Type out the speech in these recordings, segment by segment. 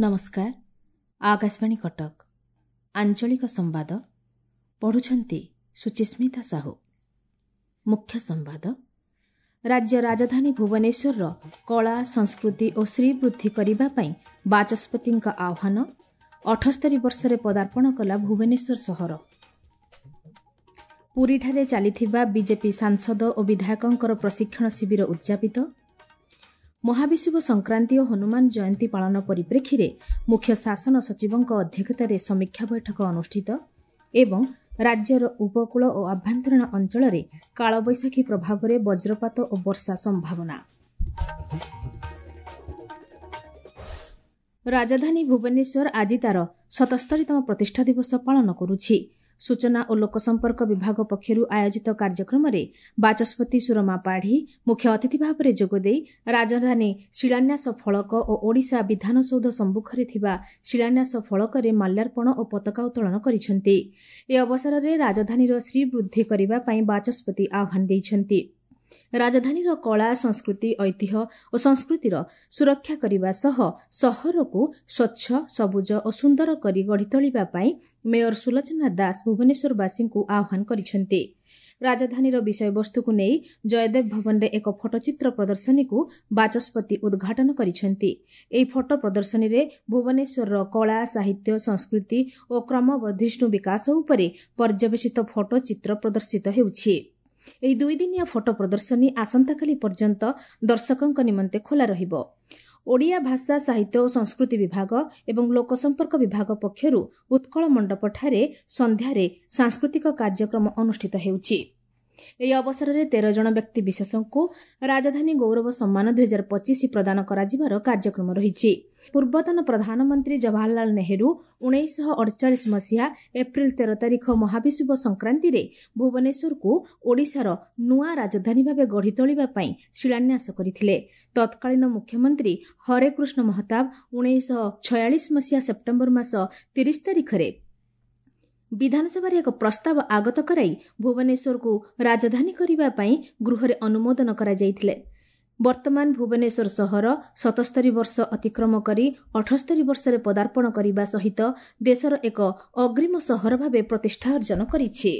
ନମସ୍କାର, ଆକାଶବାଣୀ କଟକ, ଆଞ୍ଚଳିକ ସମ୍ବାଦ ପଢ଼ୁଛନ୍ତି ସୁଚିସ୍ମିତା ସାହୁ। ମୁଖ୍ୟ ସମ୍ବାଦ। ରାଜ୍ୟ ରାଜଧାନୀ ଭୁବନେଶ୍ୱରର କଳା, ସଂସ୍କୃତି ଓ ଶ୍ରୀବୃଦ୍ଧି କରିବା ପାଇଁ ବାଚସ୍ପତିଙ୍କ ଆହ୍ୱାନ। 78 ବର୍ଷରେ ପଦାର୍ପଣ କଲା ଭୁବନେଶ୍ୱର ସହର। ପୁରୀଠାରେ ଚାଲିଥିବା ବିଜେପି ସାଂସଦ ଓ ବିଧାୟକଙ୍କର ପ୍ରଶିକ୍ଷଣ ଶିବିର ଉଦ୍ଯାପିତ। ମହାବିଷୁବ ସଂକ୍ରାନ୍ତି ଓ ହନୁମାନ ଜୟନ୍ତୀ ପାଳନ ପରିପ୍ରେକ୍ଷୀରେ ମୁଖ୍ୟ ଶାସନ ସଚିବଙ୍କ ଅଧ୍ୟକ୍ଷତାରେ ସମୀକ୍ଷା ବୈଠକ ଅନୁଷ୍ଠିତ ଏବଂ ରାଜ୍ୟର ଉପକୂଳ ଓ ଆଭ୍ୟନ୍ତରୀଣ ଅଞ୍ଚଳରେ କାଳବୈଶାଖୀ ପ୍ରଭାବରେ ବଜ୍ରପାତ ଓ ବର୍ଷା ସମ୍ଭାବନା। ରାଜଧାନୀ ଭୁବନେଶ୍ୱର ଆଜି ତା'ର 77ତମ ପ୍ରତିଷ୍ଠା ଦିବସ ପାଳନ କରୁଛି। ସୂଚନା ଓ ଲୋକସମ୍ପର୍କ ବିଭାଗ ପକ୍ଷରୁ ଆୟୋଜିତ କାର୍ଯ୍ୟକ୍ରମରେ ବାଚସ୍ପତି ସୁରମା ପାଢ଼ୀ ମୁଖ୍ୟ ଅତିଥି ଭାବରେ ଯୋଗଦେଇ ରାଜଧାନୀ ଶିଳାନ୍ୟାସ ଫଳକ ଓ ଓଡ଼ିଶା ବିଧାନସୌଧ ସମ୍ମୁଖରେ ଥିବା ଶିଳାନ୍ୟାସ ଫଳକରେ ମାଲ୍ୟାର୍ପଣ ଓ ପତାକା ଉତ୍ତୋଳନ କରିଛନ୍ତି। ଏ ଅବସରରେ ରାଜଧାନୀର ଶ୍ରୀବୃଦ୍ଧି କରିବା ପାଇଁ ବାଚସ୍ପତି ଆହ୍ୱାନ ଦେଇଛନ୍ତି। ରାଜଧାନୀର କଳା, ସଂସ୍କୃତି, ଐତିହ୍ୟ ଓ ସଂସ୍କୃତିର ସୁରକ୍ଷା କରିବା ସହ ସହରକୁ ସ୍ୱଚ୍ଛ, ସବୁଜ ଓ ସୁନ୍ଦର କରି ଗଢ଼ି ତୋଳିବା ପାଇଁ ମେୟର ସୁଲୋଚନା ଦାସ ଭୁବନେଶ୍ୱରବାସୀଙ୍କୁ ଆହ୍ୱାନ କରିଛନ୍ତି। ରାଜଧାନୀର ବିଷୟବସ୍ତୁକୁ ନେଇ ଜୟଦେବ ଭବନରେ ଏକ ଫଟୋଚିତ୍ର ପ୍ରଦର୍ଶନୀକୁ ବାଚସ୍ପତି ଉଦ୍ଘାଟନ କରିଛନ୍ତି। ଏହି ଫଟୋ ପ୍ରଦର୍ଶନୀରେ ଭୁବନେଶ୍ୱରର କଳା, ସାହିତ୍ୟ, ସଂସ୍କୃତି ଓ କ୍ରମବର୍ଦ୍ଧିଷ୍ଣୁ ବିକାଶ ଉପରେ ପର୍ଯ୍ୟବେସିତ ଫଟୋଚିତ୍ର ପ୍ରଦର୍ଶିତ ହେଉଛି। ଏହି ଦୁଇଦିନିଆ ଫଟୋ ପ୍ରଦର୍ଶନୀ ଆସନ୍ତାକାଲି ପର୍ଯ୍ୟନ୍ତ ଦର୍ଶକଙ୍କ ନିମନ୍ତେ ଖୋଲା ରହିବ। ଓଡ଼ିଆ ଭାଷା, ସାହିତ୍ୟ ଓ ସଂସ୍କୃତି ବିଭାଗ ଏବଂ ଲୋକସମ୍ପର୍କ ବିଭାଗ ପକ୍ଷରୁ ଉତ୍କଳ ମଣ୍ଡପଠାରେ ସନ୍ଧ୍ୟାରେ ସାଂସ୍କୃତିକ କାର୍ଯ୍ୟକ୍ରମ ଅନୁଷ୍ଠିତ ହେଉଛି। ଏହି ଅବସରରେ 13 ଜଣ ବ୍ୟକ୍ତିବିଶେଷଙ୍କୁ ରାଜଧାନୀ ଗୌରବ ସମ୍ମାନ 2025 ପ୍ରଦାନ କରାଯିବାର କାର୍ଯ୍ୟକ୍ରମ ରହିଛି। ପୂର୍ବତନ ପ୍ରଧାନମନ୍ତ୍ରୀ ଜବାହରଲାଲ ନେହେରୁ 1948 ମସିହା ଏପ୍ରିଲ 13 ତାରିଖ ମହାବିଷୁବ ସଂକ୍ରାନ୍ତିରେ ଭୁବନେଶ୍ୱରକୁ ଓଡ଼ିଶାର ନୂଆ ରାଜଧାନୀ ଭାବେ ଗଢ଼ି ତୋଳିବା ପାଇଁ ଶିଳାନ୍ୟାସ କରିଥିଲେ। ତତ୍କାଳୀନ ମୁଖ୍ୟମନ୍ତ୍ରୀ ହରେକୃଷ୍ଣ ମହତାବ 1946 ମସିହା ସେପ୍ଟେମ୍ବର ମାସ 30 ତାରିଖରେ ବିଧାନସଭାରେ ଏକ ପ୍ରସ୍ତାବ ଆଗତ କରାଇ ଭୁବନେଶ୍ୱରକୁ ରାଜଧାନୀ କରିବା ପାଇଁ ଗୃହରେ ଅନୁମୋଦନ କରାଯାଇଥିଲେ। ବର୍ତ୍ତମାନ ଭୁବନେଶ୍ୱର ସହର 77 ବର୍ଷ ଅତିକ୍ରମ କରି 78 ବର୍ଷରେ ପଦାର୍ପଣ କରିବା ସହିତ ଦେଶର ଏକ ଅଗ୍ରିମ ସହର ଭାବେ ପ୍ରତିଷ୍ଠା ଅର୍ଜନ କରିଛି।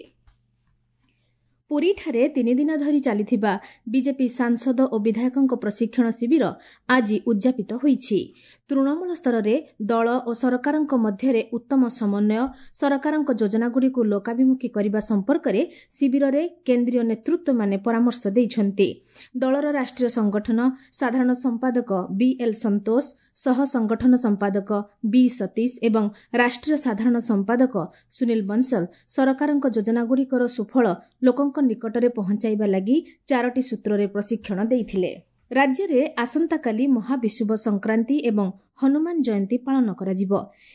ପୁରୀଠାରେ ତିନିଦିନ ଧରି ଚାଲିଥିବା ବିଜେପି ସାଂସଦ ଓ ବିଧାୟକଙ୍କ ପ୍ରଶିକ୍ଷଣ ଶିବିର ଆଜି ଉଦ୍ଯାପିତ ହୋଇଛି। ତୃଣମୂଳ ସ୍ତରରେ ଦଳ ଓ ସରକାରଙ୍କ ମଧ୍ୟରେ ଉତ୍ତମ ସମନ୍ୱୟ, ସରକାରଙ୍କ ଯୋଜନାଗୁଡ଼ିକୁ ଲୋକାଭିମୁଖୀ କରିବା ସମ୍ପର୍କରେ ଶିବିରରେ କେନ୍ଦ୍ରୀୟ ନେତୃତ୍ୱମାନେ ପରାମର୍ଶ ଦେଇଛନ୍ତି। ଦଳର ରାଷ୍ଟ୍ରୀୟ ସଂଗଠନ ସାଧାରଣ ସମ୍ପାଦକ ବିଏଲ୍ ସନ୍ତୋଷ, ସହ ସଂଗଠନ ସମ୍ପାଦକ ବି ସତୀଶ ଏବଂ ରାଷ୍ଟ୍ରୀୟ ସାଧାରଣ ସମ୍ପାଦକ ସୁନୀଲ ବଂଶଲ ସରକାରଙ୍କ ଯୋଜନାଗୁଡ଼ିକର ସୁଫଳ ଲୋକଙ୍କ ନିକଟରେ ପହଞ୍ଚାଇବା ଲାଗି 4ଟି ସୂତ୍ରରେ ପ୍ରଶିକ୍ଷଣ ଦେଇଥିଲେ। ରାଜ୍ୟରେ ଆସନ୍ତାକାଲି ମହାବିଷୁବ ସଂକ୍ରାନ୍ତି ଏବଂ ହନୁମାନ ଜୟନ୍ତୀ ପାଳନ କରାଯିବ।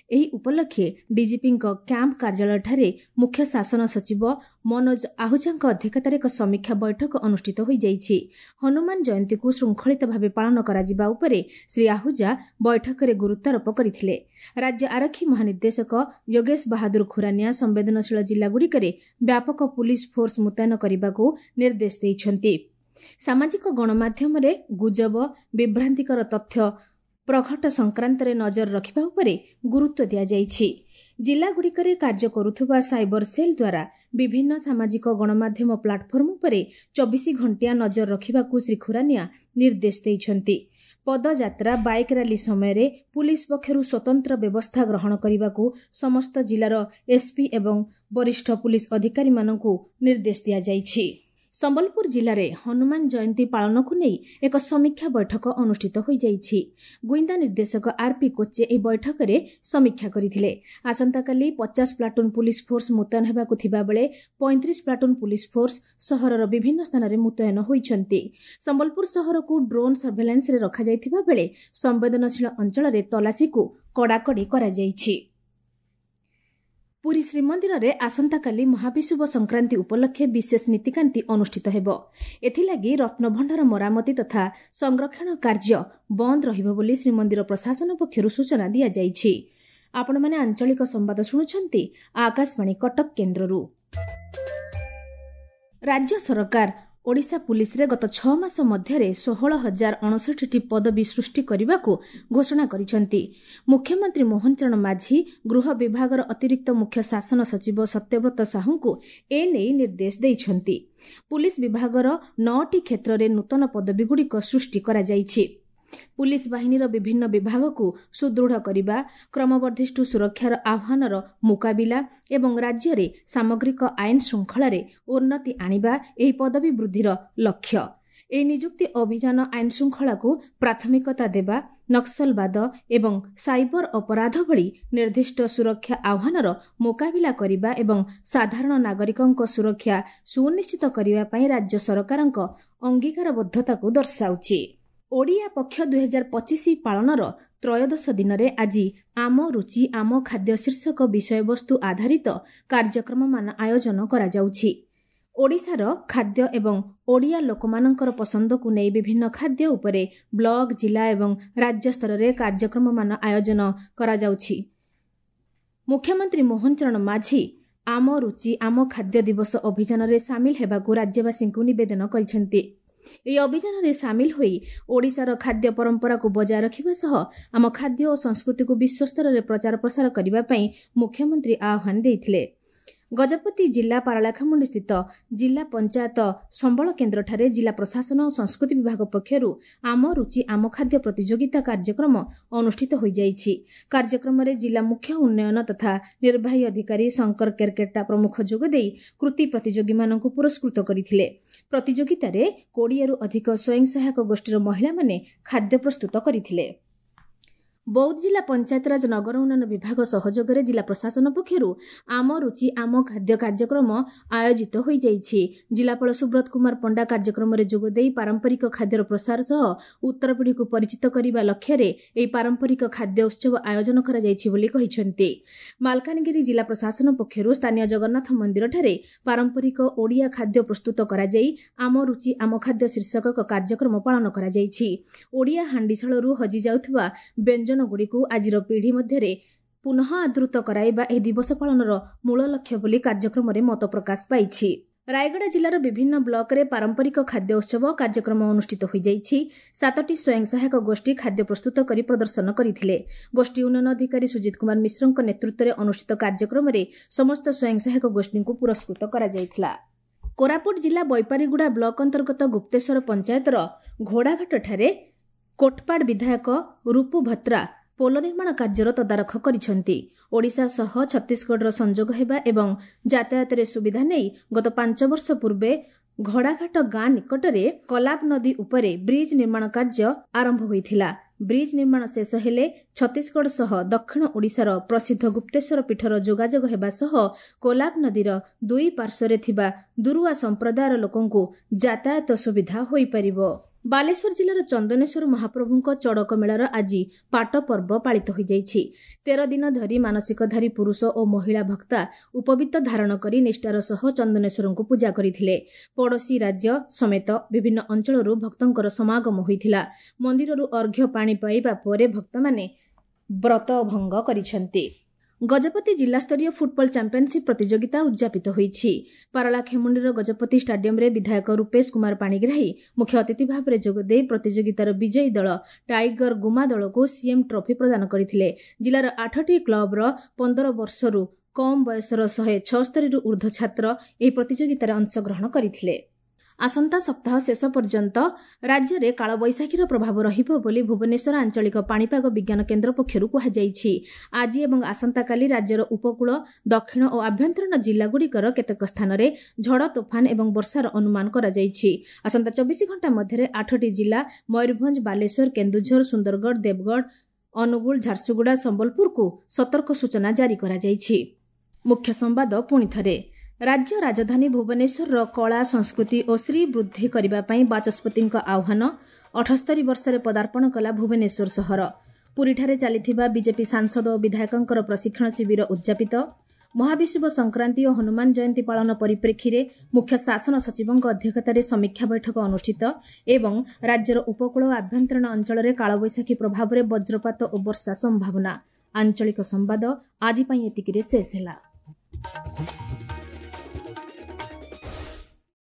ଏହି ଉପଲକ୍ଷେ ଡିଜିପିଙ୍କ କ୍ୟାମ୍ପ କାର୍ଯ୍ୟାଳୟଠାରେ ମୁଖ୍ୟ ଶାସନ ସଚିବ ମନୋଜ ଆହୁଜାଙ୍କ ଅଧ୍ୟକ୍ଷତାରେ ଏକ ସମୀକ୍ଷା ବୈଠକ ଅନୁଷ୍ଠିତ ହୋଇଯାଇଛି। ହନୁମାନ ଜୟନ୍ତୀକୁ ଶୃଙ୍ଖଳିତ ଭାବେ ପାଳନ କରାଯିବା ଉପରେ ଶ୍ରୀ ଆହୁଜା ବୈଠକରେ ଗୁରୁତ୍ୱାରୋପ କରିଥିଲେ। ରାଜ୍ୟ ଆରକ୍ଷୀ ମହାନିର୍ଦ୍ଦେଶକ ଯୋଗେଶ ବାହାଦୁର ଖୁରାନିଆ ସମ୍ବେଦନଶୀଳ ଜିଲ୍ଲାଗୁଡ଼ିକରେ ବ୍ୟାପକ ପୁଲିସ ଫୋର୍ସ ମୁତୟନ କରିବାକୁ ନିର୍ଦ୍ଦେଶ ଦେଇଛନ୍ତି। ସାମାଜିକ ଗଣମାଧ୍ୟମରେ ଗୁଜବ, ବିଭ୍ରାନ୍ତିକର ତଥ୍ୟ ପ୍ରଘଟ ସଂକ୍ରାନ୍ତରେ ନଜର ରଖିବା ଉପରେ ଗୁରୁତ୍ୱ ଦିଆଯାଇଛି। ଜିଲ୍ଲାଗୁଡ଼ିକରେ କାର୍ଯ୍ୟ କରୁଥିବା ସାଇବର ସେଲ୍ ଦ୍ୱାରା ବିଭିନ୍ନ ସାମାଜିକ ଗଣମାଧ୍ୟମ ପ୍ଲାଟଫର୍ମ ଉପରେ 24 ଘଣ୍ଟିଆ ନଜର ରଖିବାକୁ ଶ୍ରୀ ଖୁରାନିଆ ନିର୍ଦ୍ଦେଶ ଦେଇଛନ୍ତି। ପଦଯାତ୍ରା, ବାଇକ୍ ରାଲି ସମୟରେ ପୁଲିସ ପକ୍ଷରୁ ସ୍ୱତନ୍ତ୍ର ବ୍ୟବସ୍ଥା ଗ୍ରହଣ କରିବାକୁ ସମସ୍ତ ଜିଲ୍ଲାର ଏସ୍ପି ଏବଂ ବରିଷ୍ଠ ପୁଲିସ ଅଧିକାରୀମାନଙ୍କୁ ନିର୍ଦ୍ଦେଶ ଦିଆଯାଇଛି। ସମ୍ବଲପୁର ଜିଲ୍ଲାରେ ହନୁମାନ ଜୟନ୍ତୀ ପାଳନକୁ ନେଇ ଏକ ସମୀକ୍ଷା ବୈଠକ ଅନୁଷ୍ଠିତ ହୋଇଯାଇଛି। ଗୁଇନ୍ଦା ନିର୍ଦ୍ଦେଶକ ଆର୍ପି କୋଚେ ଏହି ବୈଠକରେ ସମୀକ୍ଷା କରିଥିଲେ। ଆସନ୍ତାକାଲି 50 ପ୍ଲାଟୁନ୍ ପୁଲିସ ଫୋର୍ସ ମୁତୟନ ହେବାକୁ ଥିବାବେଳେ 35 ପ୍ଲାଟୁନ୍ ପୁଲିସ ଫୋର୍ସ ସହରର ବିଭିନ୍ନ ସ୍ଥାନରେ ମୁତୟନ ହୋଇଛନ୍ତି। ସମ୍ବଲପୁର ସହରକୁ ଡ୍ରୋନ୍ ସର୍ଭେଲାନ୍ସରେ ରଖାଯାଇଥିବା ବେଳେ ସମ୍ବେଦନଶୀଳ ଅଞ୍ଚଳରେ ତଲାସିକୁ କଡ଼ାକଡ଼ି କରାଯାଇଛି। ପୁରୀ ଶ୍ରୀମନ୍ଦିରରେ ଆସନ୍ତାକାଲି ମହାବିଷୁବ ସଂକ୍ରାନ୍ତି ଉପଲକ୍ଷେ ବିଶେଷ ନୀତିକାନ୍ତି ଅନୁଷ୍ଠିତ ହେବ। ଏଥିଲାଗି ରତ୍ନଭଣ୍ଡାର ମରାମତି ତଥା ସଂରକ୍ଷଣ କାର୍ଯ୍ୟ ବନ୍ଦ ରହିବ ବୋଲି ଶ୍ରୀମନ୍ଦିର ପ୍ରଶାସନ ପକ୍ଷରୁ ସୂଚନା ଦିଆଯାଇଛି। ଆପଣମାନେ ଆଞ୍ଚଳିକ ସମ୍ବାଦ ଶୁଣୁଛନ୍ତି ଆକାଶବାଣୀ କଟକ କେନ୍ଦ୍ରରୁ। ରାଜ୍ୟ ସରକାର ଓଡ଼ିଶା ପୁଲିସରେ ଗତ 6 ମାସ ମଧ୍ୟରେ 16,059ଟି ପଦବୀ ସୃଷ୍ଟି କରିବାକୁ ଘୋଷଣା କରିଛନ୍ତି। ମୁଖ୍ୟମନ୍ତ୍ରୀ ମୋହନ ଚରଣ ମାଝୀ ଗୃହ ବିଭାଗର ଅତିରିକ୍ତ ମୁଖ୍ୟ ଶାସନ ସଚିବ ସତ୍ୟବ୍ରତ ସାହୁଙ୍କୁ ଏନେଇ ନିର୍ଦ୍ଦେଶ ଦେଇଛନ୍ତି। ପୁଲିସ ବିଭାଗର 9ଟି କ୍ଷେତ୍ରରେ ନୂତନ ପଦବୀଗୁଡ଼ିକ ସୃଷ୍ଟି କରାଯାଇଛି। ପୁଲିସ ବାହିନୀର ବିଭିନ୍ନ ବିଭାଗକୁ ସୁଦୃଢ଼ କରିବା, କ୍ରମବର୍ଦ୍ଧିଷ୍ଣୁ ସୁରକ୍ଷାର ଆହ୍ୱାନର ମୁକାବିଲା ଏବଂ ରାଜ୍ୟରେ ସାମଗ୍ରିକ ଆଇନ ଶୃଙ୍ଖଳାରେ ଉନ୍ନତି ଆଣିବା ଏହି ପଦବୀ ବୃଦ୍ଧିର ଲକ୍ଷ୍ୟ। ଏହି ନିଯୁକ୍ତି ଅଭିଯାନ ଆଇନ ଶୃଙ୍ଖଳାକୁ ପ୍ରାଥମିକତା ଦେବା, ନକ୍ସଲବାଦ ଏବଂ ସାଇବର ଅପରାଧ ଭଳି ନିର୍ଦ୍ଦିଷ୍ଟ ସୁରକ୍ଷା ଆହ୍ୱାନର ମୁକାବିଲା କରିବା ଏବଂ ସାଧାରଣ ନାଗରିକଙ୍କ ସୁରକ୍ଷା ସୁନିଶ୍ଚିତ କରିବା ପାଇଁ ରାଜ୍ୟ ସରକାରଙ୍କ ଅଙ୍ଗୀକାରବଦ୍ଧତାକୁ ଦର୍ଶାଉଛି। ଓଡ଼ିଆ ପକ୍ଷ 2025 ପାଳନର ତ୍ରୟୋଦଶ ଦିନରେ ଆଜି ଆମ ରୁଚି ଆମ ଖାଦ୍ୟ ଶୀର୍ଷକ ବିଷୟବସ୍ତୁ ଆଧାରିତ କାର୍ଯ୍ୟକ୍ରମମାନ ଆୟୋଜନ କରାଯାଉଛି। ଓଡ଼ିଶାର ଖାଦ୍ୟ ଏବଂ ଓଡ଼ିଆ ଲୋକମାନଙ୍କର ପସନ୍ଦକୁ ନେଇ ବିଭିନ୍ନ ଖାଦ୍ୟ ଉପରେ ବ୍ଲକ, ଜିଲ୍ଲା ଏବଂ ରାଜ୍ୟ ସ୍ତରରେ କାର୍ଯ୍ୟକ୍ରମମାନ ଆୟୋଜନ କରାଯାଉଛି। ମୁଖ୍ୟମନ୍ତ୍ରୀ ମୋହନ ଚରଣ ମାଝୀ ଆମ ରୁଚି ଆମ ଖାଦ୍ୟ ଦିବସ ଅଭିଯାନରେ ସାମିଲ ହେବାକୁ ରାଜ୍ୟବାସୀଙ୍କୁ ନିବେଦନ କରିଛନ୍ତି। ଏହି ଅଭିଯାନରେ ସାମିଲ ହୋଇ ଓଡ଼ିଶାର ଖାଦ୍ୟ ପରମ୍ପରାକୁ ବଜାୟ ରଖିବା ସହ ଆମ ଖାଦ୍ୟ ଓ ସଂସ୍କୃତିକୁ ବିଶ୍ୱସ୍ତରରେ ପ୍ରଚାର ପ୍ରସାର କରିବା ପାଇଁ ମୁଖ୍ୟମନ୍ତ୍ରୀ ଆହ୍ୱାନ ଦେଇଥିଲେ। ଗଜପତି ଜିଲ୍ଲା ପାରଳାଖେମୁଣ୍ଡି ସ୍ଥିତ ଜିଲ୍ଲା ପଞ୍ଚାୟତ ସମ୍ବଳ କେନ୍ଦ୍ରଠାରେ ଜିଲ୍ଲା ପ୍ରଶାସନ ଓ ସଂସ୍କୃତି ବିଭାଗ ପକ୍ଷରୁ ଆମ ରୁଚି ଆମ ଖାଦ୍ୟ ପ୍ରତିଯୋଗିତା କାର୍ଯ୍ୟକ୍ରମ ଅନୁଷ୍ଠିତ ହୋଇଯାଇଛି। କାର୍ଯ୍ୟକ୍ରମରେ ଜିଲ୍ଲା ମୁଖ୍ୟ ଉନ୍ନୟନ ତଥା ନିର୍ବାହୀ ଅଧିକାରୀ ଶଙ୍କର କେରକେଟା ପ୍ରମୁଖ ଯୋଗଦେଇ କୃତି ପ୍ରତିଯୋଗୀମାନଙ୍କୁ ପୁରସ୍କୃତ କରିଥିଲେ। ପ୍ରତିଯୋଗିତାରେ 20ରୁ ଅଧିକ ସ୍ୱୟଂ ସହାୟକ ଗୋଷ୍ଠୀର ମହିଳାମାନେ ଖାଦ୍ୟ ପ୍ରସ୍ତୁତ କରିଥିଲେ। ବୌଦ୍ଧ ଜିଲ୍ଲା ପଞ୍ଚାୟତିରାଜ ନଗର ଉନ୍ନୟନ ବିଭାଗ ସହଯୋଗରେ ଜିଲ୍ଲା ପ୍ରଶାସନ ପକ୍ଷରୁ ଆମ ରୁଚି ଆମ ଖାଦ୍ୟ କାର୍ଯ୍ୟକ୍ରମ ଆୟୋଜିତ ହୋଇଯାଇଛି। ଜିଲ୍ଲାପାଳ ସୁବ୍ରତ କୁମାର ପଣ୍ଡା କାର୍ଯ୍ୟକ୍ରମରେ ଯୋଗଦେଇ ପାରମ୍ପରିକ ଖାଦ୍ୟର ପ୍ରସାର ସହ ଉତ୍ତରପିଢ଼ିକୁ ପରିଚିତ କରିବା ଲକ୍ଷ୍ୟରେ ଏହି ପାରମ୍ପରିକ ଖାଦ୍ୟ ଉତ୍ସବ ଆୟୋଜନ କରାଯାଇଛି ବୋଲି କହିଛନ୍ତି। ମାଲକାନଗିରି ଜିଲ୍ଲା ପ୍ରଶାସନ ପକ୍ଷରୁ ସ୍ଥାନୀୟ ଜଗନ୍ନାଥ ମନ୍ଦିରଠାରେ ପାରମ୍ପରିକ ଓଡ଼ିଆ ଖାଦ୍ୟ ପ୍ରସ୍ତୁତ କରାଯାଇ ଆମ ରୁଚି ଆମ ଖାଦ୍ୟ ଶୀର୍ଷକ ଏକ କାର୍ଯ୍ୟକ୍ରମ ପାଳନ କରାଯାଇଛି। ଓଡ଼ିଆ ହାଣ୍ଡିଶାଳରୁ ହଜିଯାଉଥିବା ବ୍ୟଞ୍ଜନ ଗୁଡ଼ିକୁ ଆଜିର ପିଢ଼ି ମଧ୍ୟରେ ପୁନଃ ଆଦୃତ କରାଇବା ଏହି ଦିବସ ପାଳନର ମୂଳ ଲକ୍ଷ୍ୟ ବୋଲି କାର୍ଯ୍ୟକ୍ରମରେ ମତ ପ୍ରକାଶ ପାଇଛି। ରାୟଗଡ଼ା ଜିଲ୍ଲାର ବିଭିନ୍ନ ବ୍ଲକରେ ପାରମ୍ପରିକ ଖାଦ୍ୟ ଉତ୍ସବ କାର୍ଯ୍ୟକ୍ରମ ଅନୁଷ୍ଠିତ ହୋଇଯାଇଛି। 7ଟି ସ୍ୱୟଂ ସହାୟକ ଗୋଷ୍ଠୀ ଖାଦ୍ୟ ପ୍ରସ୍ତୁତ କରି ପ୍ରଦର୍ଶନ କରିଥିଲେ। ଗୋଷ୍ଠୀ ଉନ୍ନୟନ ଅଧିକାରୀ ସୁଜିତ କୁମାର ମିଶ୍ରଙ୍କ ନେତୃତ୍ୱରେ ଅନୁଷ୍ଠିତ କାର୍ଯ୍ୟକ୍ରମରେ ସମସ୍ତ ସ୍ୱୟଂ ସହାୟକ ଗୋଷ୍ଠୀଙ୍କୁ ପୁରସ୍କୃତ କରାଯାଇଥିଲା। କୋରାପୁଟ ଜିଲ୍ଲା ବୈପାରିଗୁଡ଼ା ବ୍ଲକ ଅନ୍ତର୍ଗତ ଗୁପ୍ତେଶ୍ୱର ପଞ୍ଚାୟତର ଘୋଡ଼ାଘାଟଠାରେ କୋଟପାଡ଼ ବିଧାୟକ ରୂପୁ ଭତ୍ରା ପୋଲ ନିର୍ମାଣ କାର୍ଯ୍ୟର ତଦାରଖ କରିଛନ୍ତି। ଓଡ଼ିଶା ସହ ଛତିଶଗଡ଼ର ସଂଯୋଗ ହେବା ଏବଂ ଯାତାୟାତରେ ସୁବିଧା ନେଇ ଗତ 5 ବର୍ଷ ପୂର୍ବେ ଘୋଡ଼ାଘାଟ ଗାଁ ନିକଟରେ କଲାବ ନଦୀ ଉପରେ ବ୍ରିଜ୍ ନିର୍ମାଣ କାର୍ଯ୍ୟ ଆରମ୍ଭ ହୋଇଥିଲା। ବ୍ରିଜ୍ ନିର୍ମାଣ ଶେଷ ହେଲେ ଛତିଶଗଡ଼ ସହ ଦକ୍ଷିଣ ଓଡ଼ିଶାର ପ୍ରସିଦ୍ଧ ଗୁପ୍ତେଶ୍ୱର ପୀଠର ଯୋଗାଯୋଗ ହେବା ସହ କୋଲାବ ନଦୀର ଦୁଇ ପାର୍ଶ୍ୱରେ ଥିବା ଦୁରୁଆ ସମ୍ପ୍ରଦାୟର ଲୋକଙ୍କୁ ଯାତାୟାତ ସୁବିଧା ହୋଇପାରିବ। ବାଲେଶ୍ୱର ଜିଲ୍ଲାର ଚନ୍ଦନେଶ୍ୱର ମହାପ୍ରଭୁଙ୍କ ଚଡ଼କ ମେଳାର ଆଜି ପାଟ ପର୍ବ ପାଳିତ ହୋଇଯାଇଛି। 13 ଦିନ ଧରି ମାନସିକଧାରୀ ପୁରୁଷ ଓ ମହିଳା ଭକ୍ତା ଉପବୀତ ଧାରଣ କରି ନିଷ୍ଠାର ସହ ଚନ୍ଦନେଶ୍ୱରଙ୍କୁ ପୂଜା କରିଥିଲେ। ପଡ଼ୋଶୀ ରାଜ୍ୟ ସମେତ ବିଭିନ୍ନ ଅଞ୍ଚଳରୁ ଭକ୍ତଙ୍କର ସମାଗମ ହୋଇଥିଲା। ମନ୍ଦିରରୁ ଅର୍ଘ୍ୟ ପାଣି ପାଇବା ପରେ ଭକ୍ତମାନେ ବ୍ରତ ଭଙ୍ଗ କରିଛନ୍ତି। ଗଜପତି ଜିଲ୍ଲାସ୍ତରୀୟ ଫୁଟବଲ ଚାମ୍ପିୟନସିପ୍ ପ୍ରତିଯୋଗିତା ଉଦ୍ଯାପିତ ହୋଇଛି। ପାରଳାଖେମୁଣ୍ଡିର ଗଜପତି ଷ୍ଟାଡିୟମରେ ବିଧାୟକ ରୂପେଶ କୁମାର ପାଣିଗ୍ରାହୀ ମୁଖ୍ୟ ଅତିଥି ଭାବରେ ଯୋଗଦେଇ ପ୍ରତିଯୋଗିତାର ବିଜୟୀ ଦଳ ଟାଇଗର ଗୁମା ଦଳକୁ ସିଏମ୍ ଟ୍ରଫି ପ୍ରଦାନ କରିଥିଲେ। ଜିଲ୍ଲାର 8ଟି କ୍ଲବର 15 ବର୍ଷରୁ କମ୍ ବୟସର 176ରୁ ଉର୍ଦ୍ଧ୍ୱ ଛାତ୍ର ଏହି ପ୍ରତିଯୋଗିତାରେ ଅଂଶଗ୍ରହଣ କରିଥିଲେ। ଆସନ୍ତା ସପ୍ତାହ ଶେଷ ପର୍ଯ୍ୟନ୍ତ ରାଜ୍ୟରେ କାଳବୈଶାଖୀର ପ୍ରଭାବ ରହିବ ବୋଲି ଭୁବନେଶ୍ୱର ଆଞ୍ଚଳିକ ପାଣିପାଗ ବିଜ୍ଞାନ କେନ୍ଦ୍ର ପକ୍ଷରୁ କୁହାଯାଇଛି। ଆଜି ଏବଂ ଆସନ୍ତାକାଲି ରାଜ୍ୟର ଉପକୂଳ, ଦକ୍ଷିଣ ଓ ଆଭ୍ୟନ୍ତରୀଣ ଜିଲ୍ଲାଗୁଡ଼ିକର କେତେକ ସ୍ଥାନରେ ଝଡ଼, ତୋଫାନ ଏବଂ ବର୍ଷାର ଅନୁମାନ କରାଯାଇଛି। ଆସନ୍ତା 24 ଘଣ୍ଟା ମଧ୍ୟରେ 8ଟି ଜିଲ୍ଲା ମୟୂରଭଞ୍ଜ, ବାଲେଶ୍ୱର, କେନ୍ଦୁଝର, ସୁନ୍ଦରଗଡ଼, ଦେବଗଡ଼, ଅନୁଗୁଳ, ଝାରସୁଗୁଡ଼ା, ସମ୍ବଲପୁରକୁ ସତର୍କ ସୂଚନା ଜାରି କରାଯାଇଛି। ମୁଖ୍ୟ ସମ୍ବାଦ ପୁଣିଥରେ। ରାଜ୍ୟ ରାଜଧାନୀ ଭୁବନେଶ୍ୱରର କଳା, ସଂସ୍କୃତି ଓ ଶ୍ରୀ ବୃଦ୍ଧି କରିବା ପାଇଁ ବାଚସ୍ପତିଙ୍କ ଆହ୍ୱାନ। 78 ବର୍ଷରେ ପଦାର୍ପଣ କଲା ଭୁବନେଶ୍ୱର ସହର। ପୁରୀଠାରେ ଚାଲିଥିବା ବିଜେପି ସାଂସଦ ଓ ବିଧାୟକଙ୍କର ପ୍ରଶିକ୍ଷଣ ଶିବିର ଉଦ୍ଯାପିତ। ମହାବିଷୁବ ସଂକ୍ରାନ୍ତି ଓ ହନୁମାନ ଜୟନ୍ତୀ ପାଳନ ପରିପ୍ରେକ୍ଷୀରେ ମୁଖ୍ୟ ଶାସନ ସଚିବଙ୍କ ଅଧ୍ୟକ୍ଷତାରେ ସମୀକ୍ଷା ବୈଠକ ଅନୁଷ୍ଠିତ ଏବଂ ରାଜ୍ୟର ଉପକୂଳ ଓ ଆଭ୍ୟନ୍ତରୀଣ ଅଞ୍ଚଳରେ କାଳବୈଶାଖୀ ପ୍ରଭାବରେ ବଜ୍ରପାତ ଓ ବର୍ଷା ସମ୍ଭାବନା। ଆଞ୍ଚଳିକ ସମ୍ବାଦ ଆଜି ପାଇଁ ଏତିକିରେ ଶେଷ ହେଲା।